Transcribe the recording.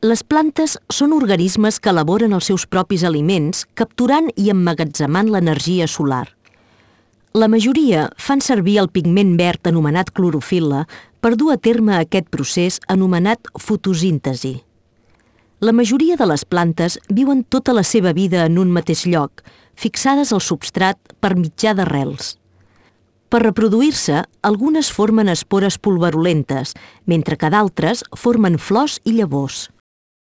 Les plantes són organismes que elaboren els seus propis aliments, capturant i emmagatzemant l'energia solar. La majoria fan servir el pigment verd anomenat clorofil·la per dur a terme aquest procés anomenat fotosíntesi. La majoria de les plantes viuen tota la seva vida en un mateix lloc, fixades al substrat per mitjà d'arrels. Per reproduir-se, algunes formen espores pulverulentes, mentre que d'altres formen flors i llavors.